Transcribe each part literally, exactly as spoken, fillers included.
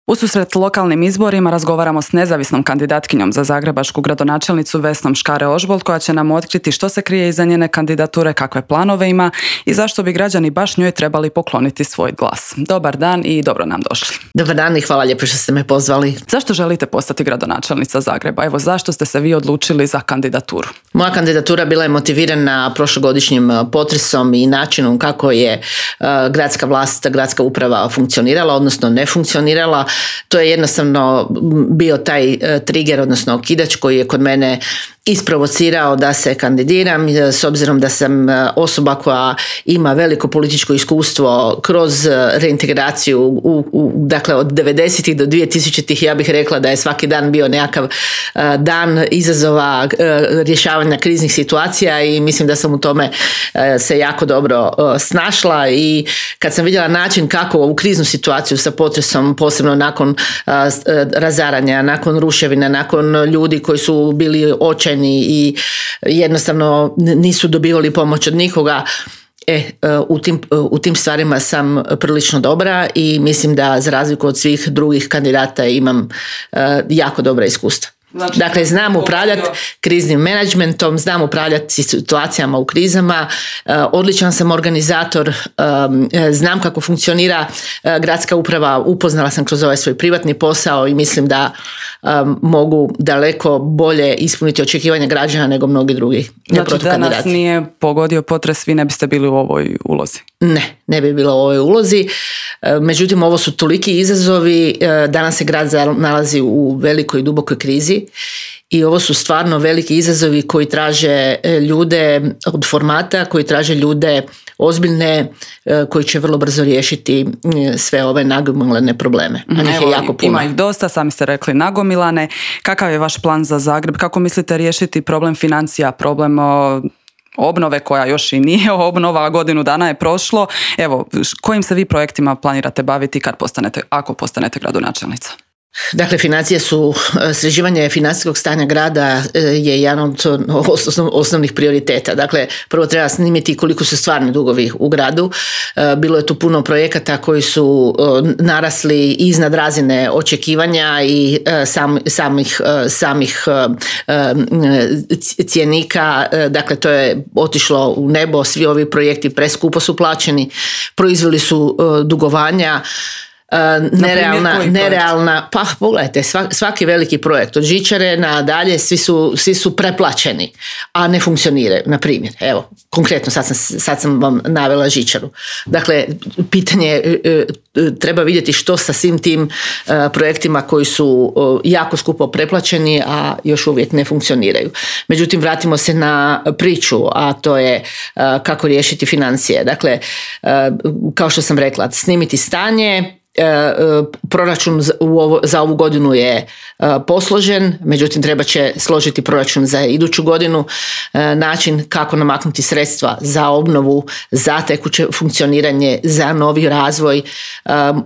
Ususret lokalnim izborima razgovaramo s nezavisnom kandidatkinjom za zagrebačku gradonačelnicu Vesnom Škare-Ožbolt koja će nam otkriti što se krije iza njene kandidature, kakve planove ima i zašto bi građani baš njoj trebali pokloniti svoj glas. Dobar dan i dobro nam došli. Dobar dan i hvala lijepo što ste me pozvali. Zašto želite postati gradonačelnica Zagreba? Evo, zašto ste se vi odlučili za kandidaturu? Moja kandidatura bila je motivirana prošlogodišnjim potresom i načinom kako je uh, gradska vlast, gradska uprava funkcionirala, odnosno ne funkcionirala. To je jednostavno bio taj uh, trigger, odnosno okidač koji je kod mene isprovocirao da se kandidiram, s obzirom da sam osoba koja ima veliko političko iskustvo kroz reintegraciju u, u, dakle od devedesetih do dvije tisućitih. Ja bih rekla da je svaki dan bio nekakav uh, dan izazova, uh, rješavanja kriznih situacija i mislim da sam u tome uh, se jako dobro uh, snašla i kad sam vidjela način kako ovu kriznu situaciju sa potresom, posebno nakon uh, razaranja, nakon ruševina, nakon ljudi koji su bili očajni i jednostavno nisu dobivali pomoć od nikoga. E, u tim, u tim stvarima sam prilično dobra i mislim da za razliku od svih drugih kandidata imam jako dobra iskustva. Znači, dakle, znam upravljati kriznim menadžmentom, znam upravljati situacijama u krizama, odličan sam organizator, znam kako funkcionira gradska uprava, upoznala sam kroz ovaj svoj privatni posao i mislim da mogu daleko bolje ispuniti očekivanja građana nego mnogi drugi. Znači, da nas nije pogodio potres, vi ne biste bili u ovoj ulozi? Ne, ne bi bilo u ovoj ulozi. Međutim, ovo su toliki izazovi, danas se grad nalazi u velikoj i dubokoj krizi i ovo su stvarno veliki izazovi koji traže ljude od formata, koji traže ljude ozbiljne, koji će vrlo brzo riješiti sve ove nagomilane probleme. A njih je jako puno. Ima ih dosta, sami ste rekli nagomilane. Kakav je vaš plan za Zagreb? Kako mislite riješiti problem financija, problem obnove koja još i nije obnova, godinu dana je prošlo. Evo, kojim se vi projektima planirate baviti kad postanete, ako postanete gradonačelnica? Dakle, financije su, sređivanje financijskog stanja grada je jedan od osnovnih prioriteta. Dakle, prvo treba snimiti koliko su stvarni dugovi u gradu. Bilo je tu puno projekata koji su narasli iznad razine očekivanja i sam, samih, samih cjenika. Dakle, to je otišlo u nebo, svi ovi projekti preskupo su plaćeni, proizveli su dugovanja. Uh, nerealna, nerealna, pa pogledajte, svaki veliki projekt od žičare nadalje, svi su, svi su preplaćeni, a ne funkcioniraju. Na primjer, evo, konkretno sad sam, sad sam vam navela žičaru. Dakle, pitanje uh, treba vidjeti što sa svim tim uh, projektima koji su uh, jako skupo preplaćeni, a još uvijek ne funkcioniraju. Međutim, vratimo se na priču, a to je uh, kako riješiti financije. Dakle, uh, kao što sam rekla, snimiti stanje. Proračun za ovu godinu je posložen, međutim treba će složiti proračun za iduću godinu, način kako namaknuti sredstva za obnovu, za tekuće funkcioniranje, za novi razvoj.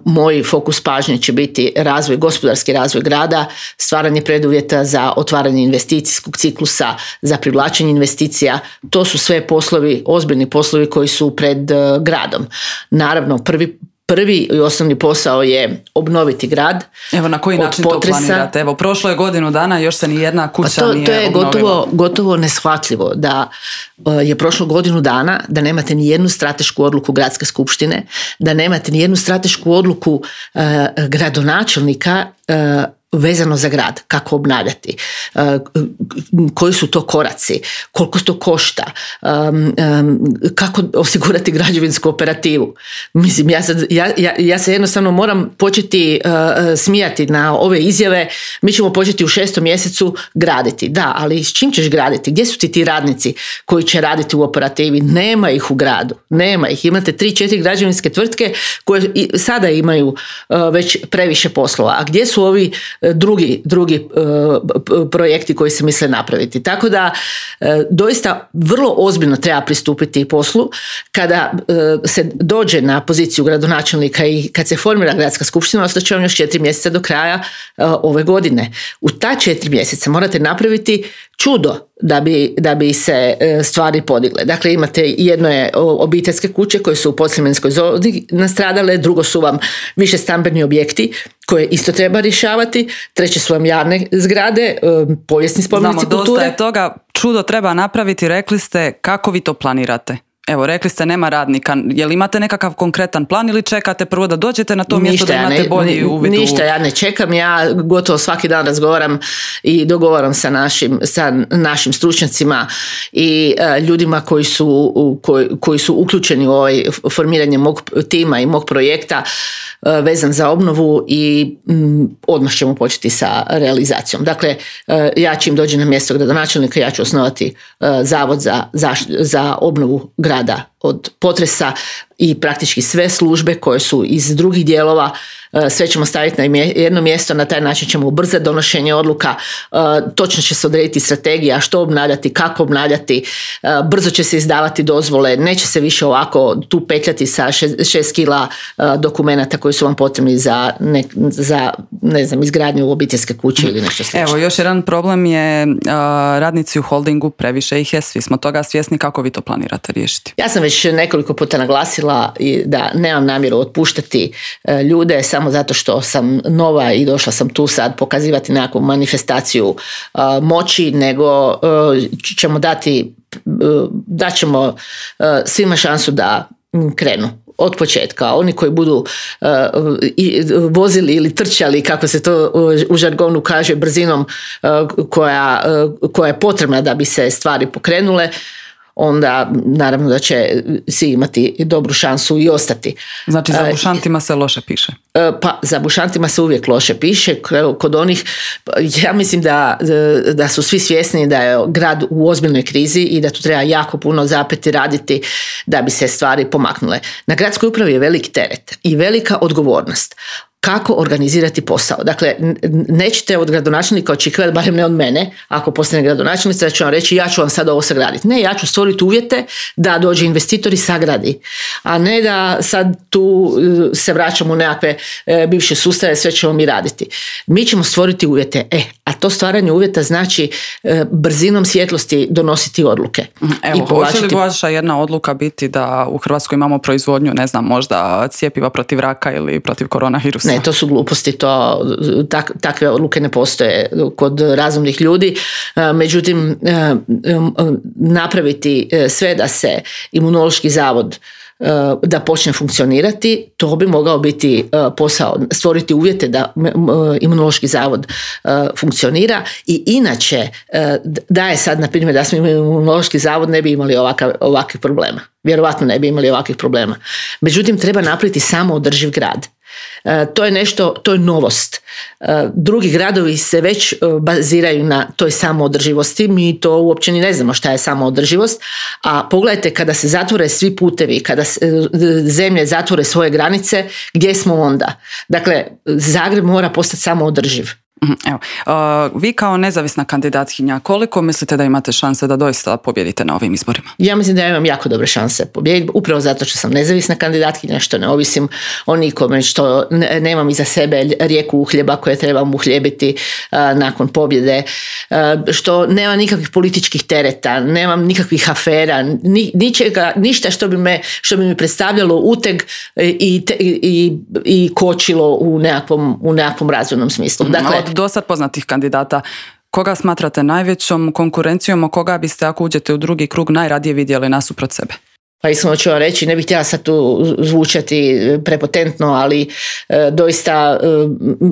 Moj fokus pažnje će biti razvoj, gospodarski razvoj grada, stvaranje preduvjeta za otvaranje investicijskog ciklusa, za privlačenje investicija. To su sve poslovi, ozbiljni poslovi koji su pred gradom. Naravno, prvi Prvi i osnovni posao je obnoviti grad. Evo, na koji način potresa. To planirate? Evo, prošlo je godinu dana, još se ni jedna kuća to, nije to je obnovila. gotovo, gotovo neshvatljivo da je prošlo godinu dana, da nemate ni jednu stratešku odluku gradske skupštine, da nemate ni jednu stratešku odluku uh, gradonačelnika uh, vezano za grad, kako obnavljati, uh, koji su to koraci, koliko to košta, um, um, kako osigurati građevinsku operativu. Mislim, ja, sad, ja, ja, ja se jednostavno moram početi uh, smijati na ove izjave. Mi ćemo početi u šestom mjesecu graditi. Da, ali s čim ćeš graditi? Gdje su ti ti radnici koji će raditi u operativi? Nema ih u gradu. Nema ih. Imate tri, četiri građevinske tvrtke koje i sada imaju uh, već previše poslova. A gdje su ovi drugi, drugi uh, projekti koji se misle napraviti. Tako da uh, doista vrlo ozbiljno treba pristupiti poslu kada uh, se dođe na poziciju gradonačelnika i kad se formira gradska skupština, ostaće vam još četiri mjeseca do kraja uh, ove godine. U ta četiri mjeseca morate napraviti čudo da bi, da bi se stvari podigle. Dakle, imate jedno je obiteljske kuće koje su u podsljemenskoj zoni nastradale, drugo su vam više stambeni objekti koje isto treba rješavati, treće su vam javne zgrade, povijesni spomenici kulture. Znamo, dosta je toga, čudo treba napraviti, rekli ste, kako vi to planirate? Evo, rekli ste nema radnika. Jel imate nekakav konkretan plan ili čekate prvo da dođete na to mjesto da imate bolji uvid? Ništa, ja ne čekam. Ja gotovo svaki dan razgovaram i dogovaram sa našim, sa našim stručnjacima i uh, ljudima koji su, koji, koji su uključeni u ovaj formiranje mog tima i mog projekta uh, vezan za obnovu i um, odmah ćemo početi sa realizacijom. Dakle, uh, ja čim dođem na mjesto gradonačelnika, ja ću osnovati uh, zavod za, za, za obnovu grada od potresa i praktički sve službe koje su iz drugih dijelova, sve ćemo staviti na jedno mjesto, na taj način ćemo ubrzati donošenje odluka, točno će se odrediti strategija, što obnavljati, kako obnavljati, brzo će se izdavati dozvole, neće se više ovako tu petljati sa šest, šest kila dokumenata koji su vam potrebni za, ne, za ne znam, izgradnju obiteljske kuće ili nešto slično. Evo, još jedan problem je radnici u holdingu, previše ih je, svi smo toga svjesni, kako vi to planirate riješiti? Ja sam već nekoliko puta naglasila da nemam namjeru otpuštati ljude samo zato što sam nova i došla sam tu sad pokazivati nekakvu manifestaciju uh, moći, nego uh, ćemo dati, uh, dat ćemo uh, svima šansu da krenu od početka. Oni koji budu uh, i, vozili ili trčali, kako se to u žargonu kaže, brzinom uh, koja, uh, koja je potrebna da bi se stvari pokrenule, onda naravno da će svi imati dobru šansu i ostati. Znači za bušantima se loše piše? Pa za bušantima se uvijek loše piše. Kod onih, ja mislim da, da su svi svjesni da je grad u ozbiljnoj krizi i da tu treba jako puno zapeti raditi da bi se stvari pomaknule. Na gradskoj upravi je velik teret i velika odgovornost. Kako organizirati posao. Dakle, nećete od gradonačelnika očekivati, barem ne od mene, ako postane gradonačelnica, da ću vam reći ja ću vam sad ovo sagraditi. Ne, ja ću stvoriti uvjete da dođe investitor i sagradi, a ne da sad tu se vraćamo u nekakve e, bivše sustave, sve ćemo mi raditi. Mi ćemo stvoriti uvjete, e, a to stvaranje uvjeta znači e, brzinom svjetlosti donositi odluke. Evo, hoće li vaša jedna odluka biti da u Hrvatskoj imamo proizvodnju, ne znam, možda cjepiva protiv raka ili protiv koronavirusa? Ne, to su gluposti, to, tak, takve odluke ne postoje kod razumnih ljudi. Međutim, napraviti sve da se Imunološki zavod da počne funkcionirati, to bi mogao biti posao, stvoriti uvjete da Imunološki zavod funkcionira i inače da je sad, na primjer, da smo imali Imunološki zavod, ne bi imali ovakav, ovakvih problema. Vjerovatno ne bi imali ovakvih problema. Međutim, treba napraviti samo održiv grad. To je nešto, to je novost. Drugi gradovi se već baziraju na toj samoodrživosti, mi to uopće ni ne znamo šta je samoodrživost, a pogledajte kada se zatvore svi putevi, kada zemlje zatvore svoje granice, gdje smo onda? Dakle, Zagreb mora postati samoodrživ. Evo, uh, vi kao nezavisna kandidatkinja, koliko mislite da imate šanse da doista pobjedite na ovim izborima? Ja mislim da ja imam jako dobre šanse pobjediti, upravo zato što sam nezavisna kandidatkinja, što ne ovisim o nikome, što ne, nemam iza sebe rijeku uhljeba koje trebam uhljebiti uh, nakon pobjede, uh, što nema nikakvih političkih tereta, nemam nikakvih afera, ni, ničega, ništa što bi, me, što bi mi predstavljalo uteg i, te, i, i kočilo u nekakvom, u nekakvom razvojnom smislu. Dakle, od dosad poznatih kandidata, koga smatrate najvećom konkurencijom, a koga biste, ako uđete u drugi krug, najradije vidjeli nasuprot sebe? Pa iskreno ću vam reći, ne bih htjela sad tu zvučati prepotentno, ali e, doista e,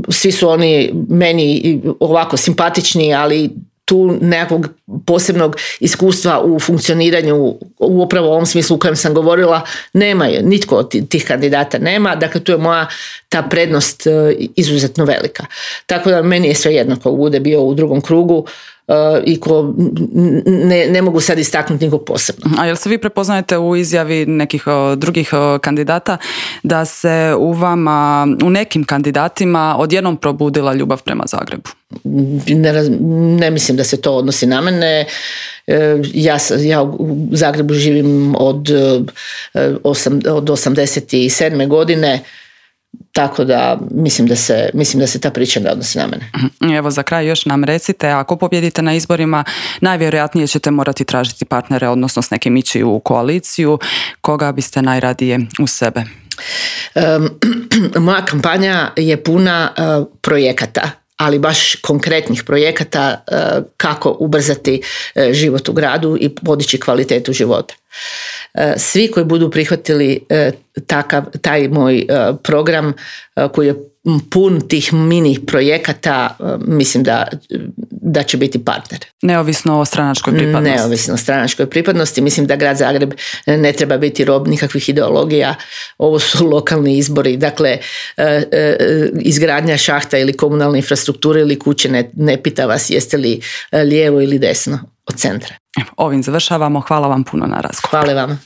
svi su oni meni ovako simpatični, ali tu nekakvog posebnog iskustva u funkcioniranju u upravo ovom smislu u kojem sam govorila nema, nitko od tih kandidata nema, dakle tu je moja ta prednost izuzetno velika. Tako da meni je svejedno ko bude bio u drugom krugu i ko ne, ne mogu sad istaknuti nikog posebno. A jel se vi prepoznajete u izjavi nekih uh, drugih uh, kandidata da se u vama, u nekim kandidatima odjednom probudila ljubav prema Zagrebu? Ne, raz, ne mislim da se to odnosi na mene. Ja, ja u Zagrebu živim od, osam, od osamdeset sedme godine. tako da mislim da se, mislim da se ta priča ne odnosi na mene. Evo za kraj još nam recite, ako pobjedite na izborima, najvjerojatnije ćete morati tražiti partnere, odnosno s nekim ići u koaliciju. Koga biste najradije uz sebe? Um, moja kampanja je puna uh, projekata, ali baš konkretnih projekata uh, kako ubrzati uh, život u gradu i podići kvalitetu života. Uh, svi koji budu prihvatili uh, takav, taj moj uh, program uh, koji je pun tih mini projekata, uh, mislim da, da će biti partner. Neovisno o stranačkoj pripadnosti. Neovisno o stranačkoj pripadnosti. Mislim da grad Zagreb ne treba biti rob nikakvih ideologija. Ovo su lokalni izbori. Dakle, izgradnja šahta ili komunalne infrastrukture ili kuće ne, ne pita vas jeste li lijevo ili desno od centra. Ovim završavamo. Hvala vam puno na razgovor. Hvala vama.